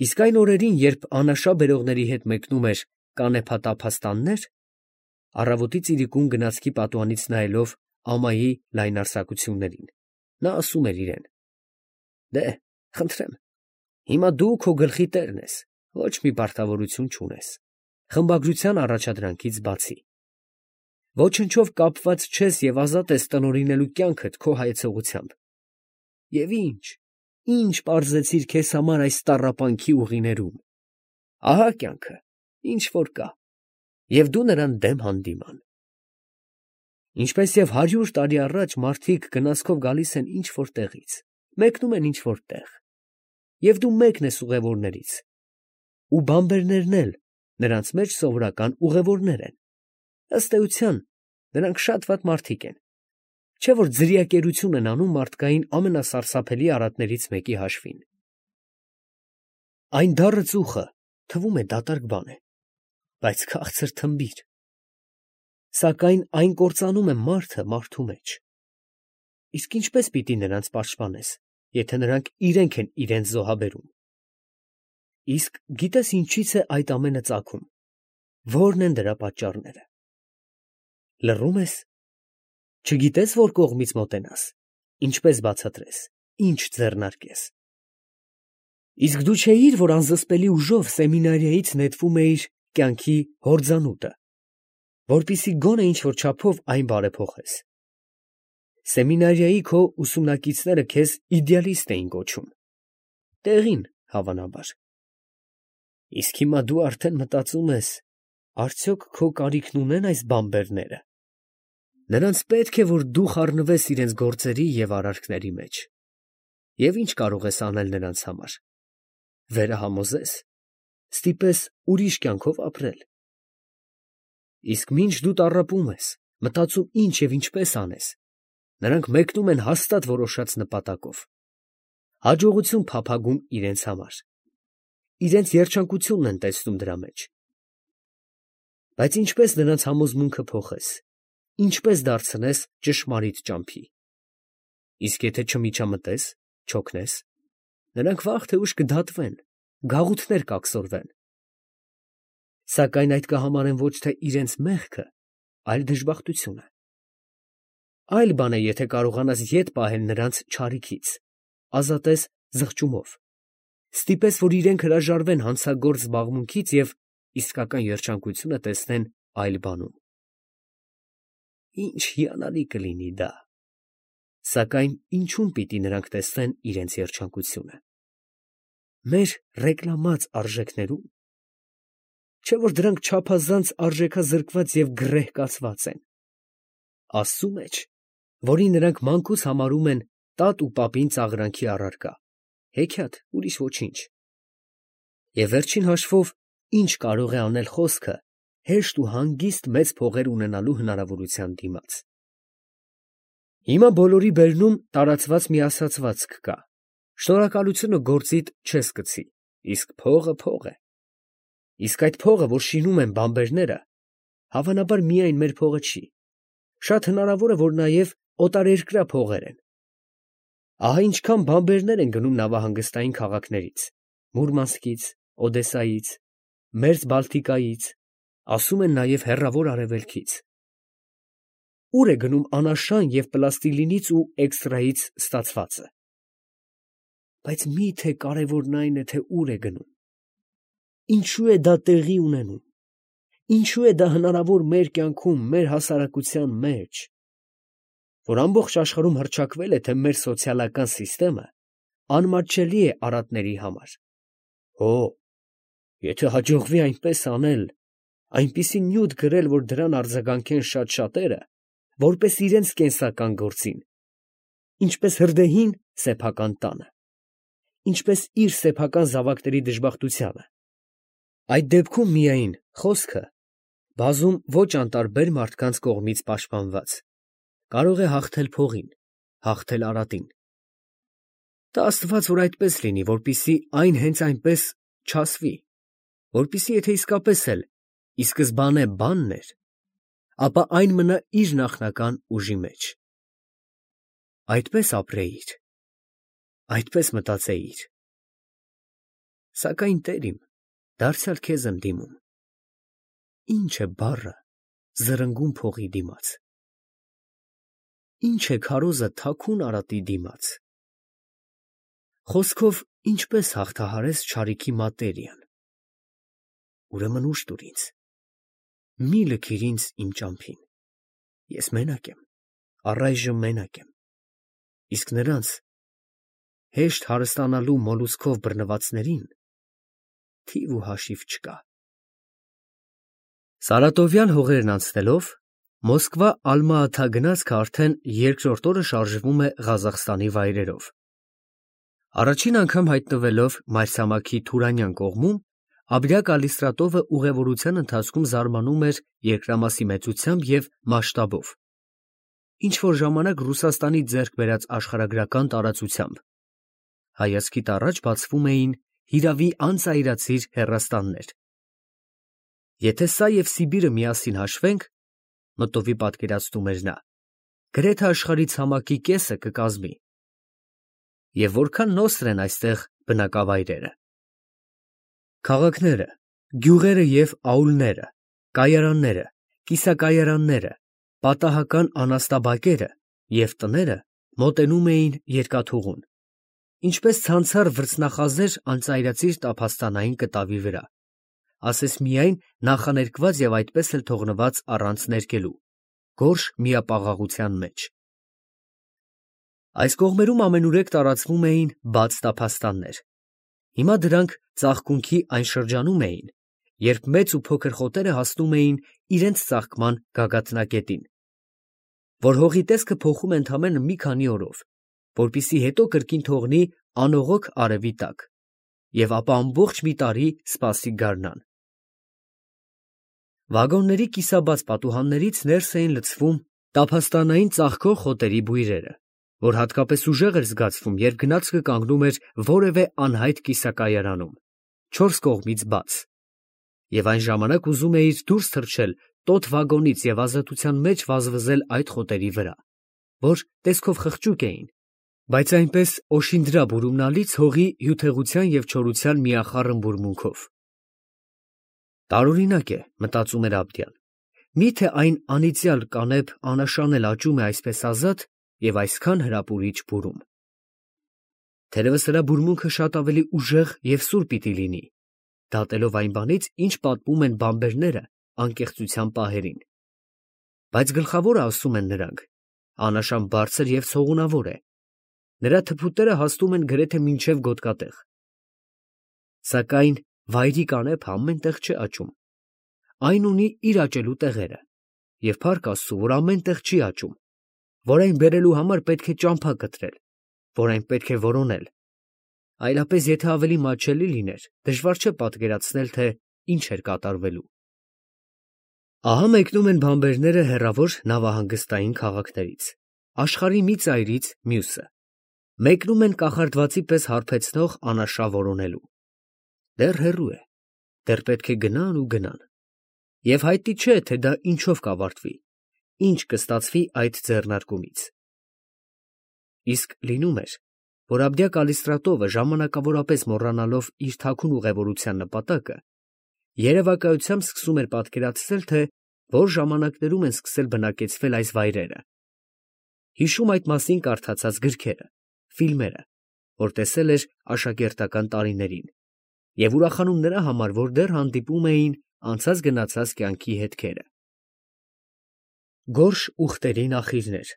Իսկ այն օրերին, երբ անաշա բերողների հետ մեկնում էր կանեփատափաստաններ, առավոտի ծիրիկուն գնացքի պատուհանից նայելով ամայի լայնարձակություններին, նա ասում էր իրեն. «Դե, խնդրեմ, հիմա դու քո գլխի տերն ես, ոչ մի պարտավորություն չունես, խմբագրության առաջադրանքից բացի. ոչնչով կապված չես և ազատ ես տնօրինելու կյանքդ քո հայեցողությամբ. և ինչ պարզեցիր քեզ համար այս տառապանքի ուղիներում. ահա կյանքը, ինչ որ կա, և դու նրան դեմ հանդիման։ Ինչպես և 100 տարի առաջ մարդիկ գնացքով գալիս են ինչ-որ տեղից, մեկնում են ինչ-որ տեղ, և դու մեկն ես ուղևորներից, ու բանբերներն էլ նրանց մեջ սովորական ուղևորներ են, ըստ էության, նրանք շատ վատ մարդիկ են, չէ՞ որ ձրիակերություն են անում մարդկային ամենասարսափելի արատներից մեկի հաշվին։ Այն դառը ծուխը թվում է դատարկ բան է, բայց քաղցր թմբիր, սակայն այն կործանում է մարդը մարդու մեջ։ Իսկ ինչպես պիտի նրանց պաշտպանես, եթե նրանք իրենք են իրենց զոհաբերում։ Իսկ գիտես ինչից է այդ ամենը ծագում, ո՞րն են դրա պատճառները։ Լռում ես, չգիտես որ կողմից մոտենաս, ինչպես բացատրես, ինչ ձեռնարկես։ Իսկ դու չէիր, որ անզսպելի ուժով սեմինարիայից նետվում էիր կյանքի հորձանուտը, որպեսզի գոնե ինչ-որ չափով այն բարեփոխես։ Սեմինարիայի քո ուսումնակիցները քեզ իդեալիստ էին կոչում, տեղին, հավանաբար։ Իսկ հիմա դու արդեն մտածում ես, արդյոք քո կարիքն ունե՞ն այս բանբերները։ Նրանց պետք է, որ դու խառնվես իրենց գործերի և արարքների մեջ։ Եվ ինչ կարող ես անել նրանց համար։ Վերահամոզես, ստիպես ուրիշ կյանքով ապրել։ Իսկ մինչ դու տառապում ես, մտածում ինչ և ինչպես անես, նրանք մեկնում են հաստատ որոշած նպատակով, հաջողություն փափագում իրենց համար, իրենց երջանկությունն են տեսնում դրա մեջ։ Բայց ինչպես նրանց համոզմունքը փոխես, ինչպես դարձնես ճշմարիտ ճամփի։ Իսկ եթե չմիջամտես, չօգնես, նրանք վաղ թե ուշ կդատվեն, գաղութներ կաքսորվեն։ Սակայն այդ կհամարեն ոչ թե իրենց մեղքը, այլ դժբախտությունը։ Այլ բան է, եթե կարողանաս ետ պահել նրանց չարիքից, ազատես զղջումով, ստիպես, որ իրենք հրաժարվեն հանցագործ զբաղմունքից և իսկական երջանկությունը տեսնեն այլ բանում։ Ինչ հիանալի կլինի դա։ Սակայն ինչու՞մ պիտի նրանք տեսնեն իրենց երջանկությունը։ Մեր ռեկլամած արժեքներու՞մ։ Չէ՞ որ դրանք չափազանց արժեքազրկված և գրեհկացված են։ Աստծու մեջ, որին նրանք մանկուց համարում են տատ ու պապին ծաղրանքի առարկա, հեքիաթ, ուրիշ ոչինչ։ Եվ վերջին հաշվով, ինչ կարող է անել խոսքը հեշտ ու հանգիստ մեծ փողեր ունենալու հնարավորության դիմաց։ Հիմա բոլորի բերնում տարածված մի ասացվածք կա. շնորհակալությունը գործիդ չես կցի, իսկ փողը փող է։ Իսկ այդ փողը, որ շինում են բանբերները, հավանաբար միայն մեր փողը չի, շատ հնարավոր է, որ նաև օտարերկրյա փողեր են։ Ահա ինչքան բանբերներ են գնում նավահանգստային քաղաքներից, Մուրմանսկից, Օդեսայից, Մերձ Բալթիկայից, ասում են նաև հեռավոր արևելքից։ Ուր է գնում անաշան և պլաստիլինից ու էքստրայից ստացվածը։ Բայց մի՞թե կարևորն այն է, թե ուր է գնում։ Ինչու է դա տեղի ունենում։ Ինչու է դա հնարավոր մեր կյանքում, մեր հասարակության մեջ, որ ամբողջ աշխարհում հռչակվել է, թե մեր սոցիալական սիստեմը անմատչելի է արատների համար։ Հո, եթե հաջողվի այնպես անել, այնպիսի նյութ գրել, որ դրան արձագանքեն շատ շատերը, որպես իրենց կենսական գործին, ինչպես հրդեհին սեփական տանը, ինչպես իր սեփական զավակների դժբախտությանը, այդ դեպքում միայն խոսքը, բազում ոչ անտարբեր մարդկանց կողմից պաշտպանված, կարող է հաղթել փողին, հաղթել արատին։ Տա Աստված, որ այդպես լինի, որպեսզի այն հենց այնպես չասվի, որպեսզի եթե իսկապես էլ ի սկզբանե բանն էր, ապա այն մնա իր նախնական ուժի մեջ։ Այդպես ապրեիր, այդպես մտածեիր։ Սակայն Տեր իմ, դարձյալ քեզ եմ դիմում։ Ինչ է բառը զրնգուն փողի դիմաց։ Ինչ է քարոզը թաքուն արատի դիմաց։ Խոսքով ինչպես հաղթահարես չարիքի մատերիան։ Ուրեմն ուժ տուր ինձ, մի լքիր ինձ իմ ճամփին։ Ես մենակ եմ, առայժմ մենակ եմ, իսկ նրանց հեշտ հարստանալու մոլուցքով բռնվածներին թիվ ու հաշիվ չկա։ Սարատովյան հողերն անցնելով, Մոսկվա-Ալմա-Աթա գնացքը արդեն երկրորդ օրը շարժվում է Ղազախստանի վայրերով։ Առաջին անգամ հայտնվելով մայրցամաքի Թուրանյան կողմում, Աբրիա Կալիստրատովը ուղևորության ընթացքում զարմանում էր երկրամասի մեծությամբ և մասշտաբով, ինչ որ ժամանակ Ռուսաստանի ձեռք բերած աշխարհագրական տարածությամբ։ Հայացքիդ առաջ բացվում էին հիրավի անծայրածիր հեռաստաններ։ Եթե սա և Սիբիրը միասին հաշվենք, մտովի պատկերացնում էր նա, գրեթե աշխարհի ցամաքի կեսը կկազմի։ Եվ որքան նոսր են այստեղ բնակավայրերը։ Քաղաքները, գյուղերը և աուլները, կայարանները, կիսակայարանները, պատահական անասնաբակերը և տները մոտենում էին երկաթուղուն, ինչպես ցանցառ վրձնախազեր անծայրածիր տափաստանային կտավի վրա, ասես միայն նախաներկված և այդպես էլ թողնված առանց ներկելու, գորշ միապաղաղության մեջ։ Այս կողմերում ամենուրեք տարածվում էին բաց տափաստաններ։ Հիմա դրանք ծաղկունքի այն շրջանում էին, երբ մեծ ու փոքր խոտերը հասնում էին իրենց ծաղկման գագաթնակետին, որ հողի տեսքը փոխում է ընդամենը մի քանի օրով, որպեսզի հետո կրկին թողնի անողոք արևի տակ, և ապա ամբողջ մի տարի սպասի գարնան։ Վագոնների կիսաբաց պատուհաններից ներս էին լցվում տափաստանային ծաղկող խոտերի բույրերը, որ հատկապես ուժեղ էր զգացվում, երբ գնացքը կանգնում էր որևէ անհայտ կիսակայարանում, չորս կողմից բաց, և այն ժամանակ ուզում էիր դուրս թռչել տոտ վագոնից և ազատության մեջ վազվզել այդ խոտերի վրա, որ տեսքով խղճուկ էին, բայց այնպես օշինդրա բուրումնալից հողի հյութեղության և չորության միախառն բուրմունքով։ Տարօրինակ է, մտածում էր Աբդյան, միթե այն անիծյալ կանեփ անաշան էլ աճում է այսպես ազատ և այսքան հրապուրիչ բուրում։ Թերևս նրա բուրմունքը շատ ավելի ուժեղ և սուր պիտի լինի, դատելով այն բանից, ինչ պատմում են բանբերները անկեղծության պահերին։ Բայց գլխավորը, ասում են նրանք, անաշան բարձր և ցողունավոր է, նրա թփուտները հասնում են գրեթե մինչև գոտկատեղ։ Սակայն վայրի կանեփը ամեն տեղ չէ աճում, այն ունի իր աճելու տեղերը, և փառք Աստծու, որ ամեն տեղ չի աճում, որ այն բերելու համար պետք է ճամփա կտրել, որ այն պետք է որոնել, այլապես եթե ավելի մատչելի լիներ, դժվար չէ պատկերացնել, թե ինչ էր կատարվելու։ Ահա մեկնում են բանբերները հեռավոր նավահանգստային քաղաքներից, աշխարհի մի ծայրից մյուսը, մեկնում են կախարդվածի պես հարբեցնող անաշա որոնելու։ Դեռ հեռու է, դեռ պետք է գնան ու գնան, և հայտնի չէ, թե դա ինչով կավարտվի, ինչ կստացվի այդ ձեռնարկումից։ Իսկ լինում էր, որ Աբդիա Կալիստրատովը, ժամանակավորապես մոռանալով իր թաքուն ուղևորության նպատակը, երևակայությամբ սկսում էր պատկերացնել, թե որ ժամանակներում են սկսել բնակեցվել այս վայրերը, հիշում այդ մասին կարդացած գրքերը, ֆիլմերը, որ տեսել էր աշակերտական տարիներին, և ուրախանում նրա համար, որ դեռ հանդիպում էին անցած գնացած կյանքի հետքերը։ Գորշ ուղտերի նախիրներ,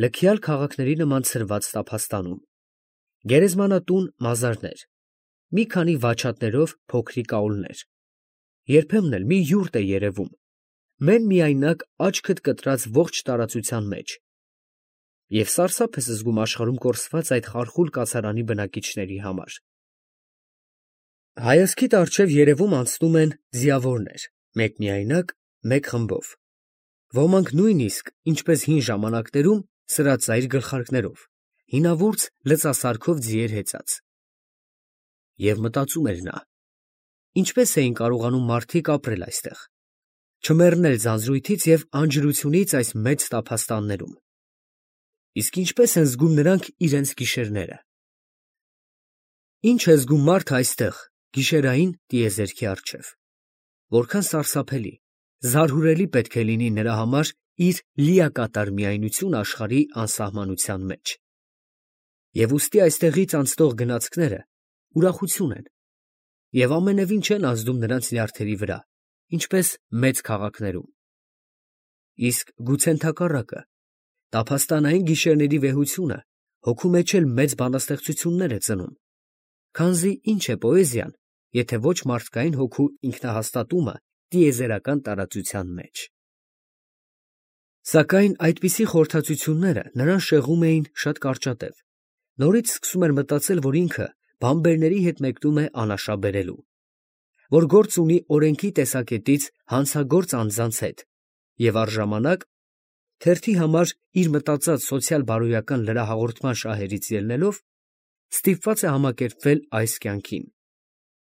լքյալ քաղաքների նման ցրված տափաստանում, գերեզմանատուն մազարներ, մի քանի վաչատներով փոքրիկ աուլներ, երբեմն էլ մի յուրտ է երևում, մեն-միայնակ աչքդ կտրած ողջ տարածության մեջ, և սարսափ ես զգում աշխարհում կորսված այդ խարխուլ կացարանի բնակիչների համար։ Հայացքիդ առջև երևում անցնում են ձիավորներ, մեկմիայնակ, մեկ խմբով, ոմանք նույնիսկ, ինչպես հին ժամանակներում, սրածայր գլխարկներով, հինավուրց լծասարքով ձիեր հեծած։ Եվ մտածում էր նա. ինչպես էին կարողանում մարդիկ ապրել այստեղ, չմեռնել ձանձրույթից և անջրությունից այս մեծ տափաստաններում, իսկ ինչպես են զգում նրանք իրենց գիշերները։ Ինչ է զգում մարդը այստեղ, գիշերային տիեզերքի առջև։ Որքան սարսափելի, զարհուրելի պետք է լինի նրա համար իր լիակատար միայնությունը աշխարհի անսահմանության մեջ։ Եվ ուստի այստեղից անցնող գնացքները ուրախություն են, և ամենևին չեն ազդում նրանց նյարդերի վրա, ինչպես մեծ քաղաքներում։ Իսկ գուցե ընդհակառակը, տափաստանային գիշերների վեհությունը հոգու մեջ էլ մեծ բանաստեղծություններ է ծնում, քանզի ինչ է պոեզիան, եթե ոչ մարդկային հոգու ինքնահաստատումը տիեզերական տարածության մեջ։ Սակայն այդպիսի խորհրդածությունները նրան շեղում էին շատ կարճատև, նորից սկսում էր մտածել, որ ինքը բանբերների հետ մեկնում է անաշաբերելու, որ գործ ունի օրենքի տեսակետից հանցագործ անձանց հետ, և առժամանակ, թերթի համար իր մտածած սոցիալ֊բարոյական լրահաղորդման շահերից ելնելով, ստիպված է համակերպվել այս կյանքին,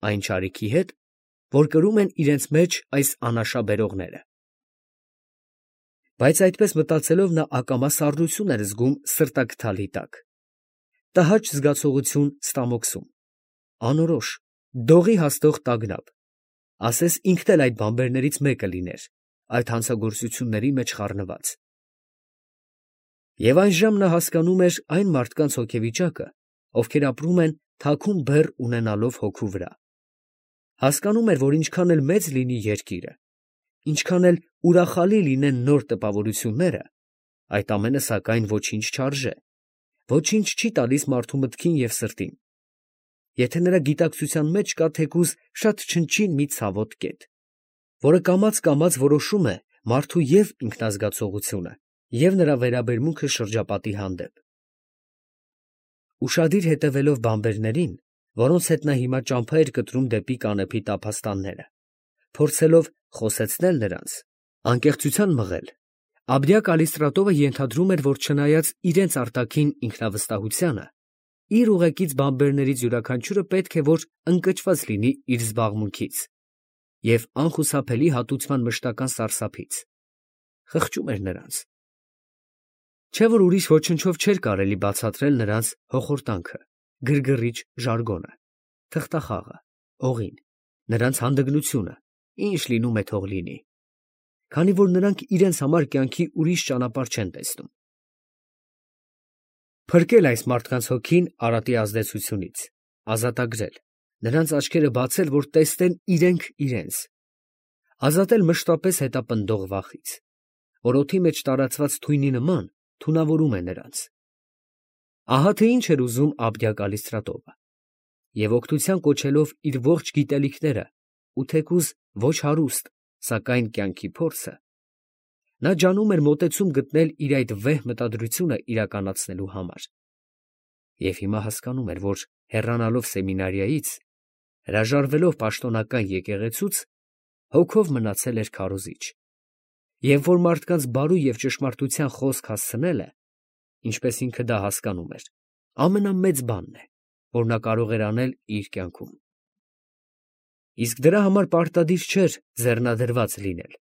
այն չարիքի հետ, որ կրում են իրենց մեջ այս անաշաբերողները։ Բայց այդպես մտածելով նա ակամա սառնություն էր զգում սրտաքթալի տակ, տհաճ զգացողություն ստամոքսում, անորոշ, դողի հասնող տագնապ, ասես ինքն էլ այդ բանբերներից մեկը լիներ, այդ հանցագործությունների մեջ խառնված։ Եվ այժմ նա հասկանում էր այն մարդկանց հոգեվիճակը, ովքեր ապրում են թաքուն բեռ ունենալով հոգու վրա, հասկանում էր, որ ինչքան էլ մեծ լինի երկիրը, ինչքան էլ ուրախալի լինեն նոր տպավորությունները, այդ ամենը սակայն ոչինչ չարժե, ոչինչ չի տալիս մարդու մտքին և սրտին, եթե նրա գիտակցության մեջ կա թեկուզ շատ չնչին մի ցավոտ կետ, որը կամաց որոշում է մարդու և ինքնազգացողությունը, և նրա վերաբերմունքը շրջապատի հանդեպ։ Ուշադիր հետևելով բանբերներին, որոնց հետ նա հիմա ճամփա էր կտրում դեպի կանեփի տափաստանները, փորձելով խոսեցնել նրանց, անկեղծության մղել, Աբդյա-Կալիստրատովը ենթադրում էր, որ չնայած իրենց արտաքին ինքնավստահությանը, իր ուղեկից բանբերներից յուրաքանչյուրը պետք է որ ընկճված լինի իր զբաղմունքից և անխուսափելի հատուցման մշտական սարսափից, խղճում էր նրանց, չէ՞ որ ուրիշ ոչնչով չէր կարելի բացատրել նրանց հոխորտանքը, գրգռիչ ժարգոնը, թղթախաղը, օղին, նրանց հանդգնությունը, ինչ լինում է թող լինի, քանի որ նրանք իրենց համար կյանքի ուրիշ ճանապարհ չեն տեսնում։ Փրկել այս մարդկանց հոգին արատի ազդեցությունից, ազատագրել, նրանց աչքերը բացել, որ տեսնեն իրենք իրենց, ազատել մշտապես հետապնդող վախից, որ օդի մեջ տարածված թույնի նման թունավորում է նրանց։ Ահա թե ինչ էր ուզում Աբդյա-Կալիստրատովը, և օգնության կոչելով իր ողջ գիտելիքները ու թեկուզ ոչ հարուստ, սակայն կյանքի փորձը, նա ջանում էր մոտեցում գտնել իր այդ վեհ մտադրությունը իրականացնելու համար։ Եվ հիմա հասկանում էր, որ հեռանալով սեմինարիայից, հրաժարվելով պաշտոնական եկեղեցուց, հոգով մնացել էր քարոզիչ, և որ մարդկանց բարու և ճշմարտության խոսք հասցնելը, ինչպես ինքը դա հասկանում էր, ամենամեծ բանն է, որ նա կարող էր անել իր կյանքում։ Իսկ դրա համար պարտադիր չէր ձեռնադրված լինել,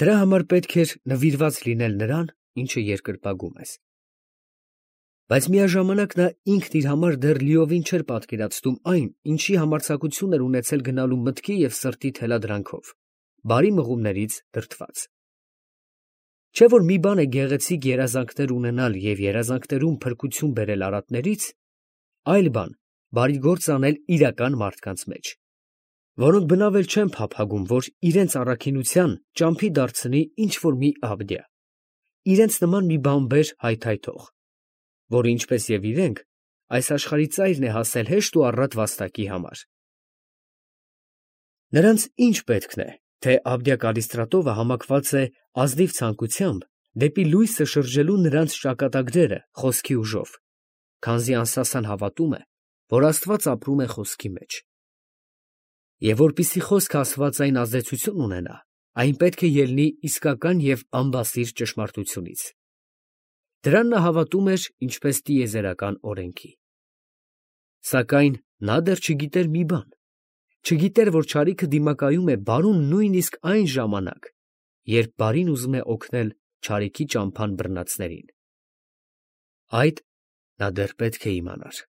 դրա համար պետք էր նվիրված լինել նրան, ինչը երկրպագում ես։ Բայց միաժամանակ նա ինքն իր համար դեռ լիովին չէր պատկերացնում այն, ինչի համարձակություն էր ունեցել գնալու մտքի և սրտի թելադրանքով, բարի մղումներից դրդված։ Չէ՞ որ մի բան է գեղեցիկ երազանքներ ունենալ և երազանքներում փրկություն բերել արատներից, այլ բան բարի գործ անել իրական մարդկանց մեջ, որոնք բնավել չեն փափագում, որ իրենց առաքինության ճամփի դարձնի ինչ֊որ մի Աբդյա, իրենց նման մի բանբեր հայթայթող, որը ինչպես և իրենք, այս աշխարհի ծայրն է հասել հեշտ ու առատ վաստակի համար։ Նրանց ինչ պետքն է, թե Աբդյա-Կալիստրատովը համակված է ազնիվ ցանկությամբ դեպի լույսը շրջելու նրանց ճակատագրերը խոսքի ուժով, քանզի անսասան հավատում է, որ Աստված ապրում է խոսքի մեջ։ Եվ որպեսզի խոսքը աստվածային ազդեցություն ունենա, այն պետք է ելնի իսկական և անբասիր ճշմարտությունից։ Դրան նա հավատում էր ինչպես տիեզերական օրենքի։ Սակայն նա դեռ չգիտեր մի բան, չգիտեր, որ չարիքը դիմակայում է բարուն նույնիսկ այն ժամանակ, երբ բարին ուզում է օգնել չարիքի ճամփան բռնածներին։ Այդ նա դեռ պետք է իմանար։